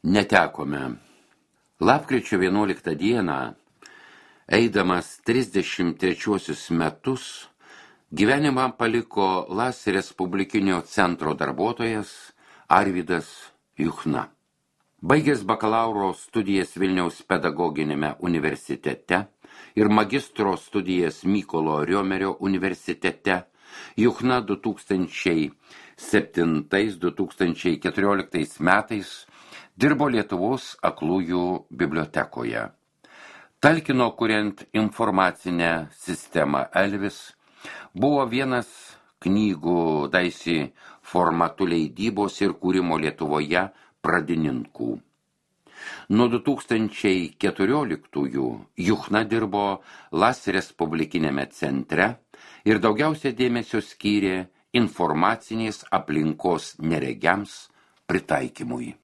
netekome. Lapkričio 11 dieną, eidamas 33 metus, gyvenimą paliko LAS Respublikinio centro darbuotojas Arvydas Juchna. Baigęs bakalauro studijas Vilniaus pedagoginėme universitete ir magistro studijas Mykolo Riomerio universitete, Juchna 2007-2014 metais dirbo Lietuvos aklųjų bibliotekoje. Talkino kuriant informacinę sistemą Elvis, buvo vienas knygų daisy formatų leidybos ir kūrimo Lietuvoje pradininkų. Nuo 2014-ųjų Juchna dirbo LAS Respublikinėme centre ir daugiausia dėmesio skyrė informacinės aplinkos neregiams pritaikymui.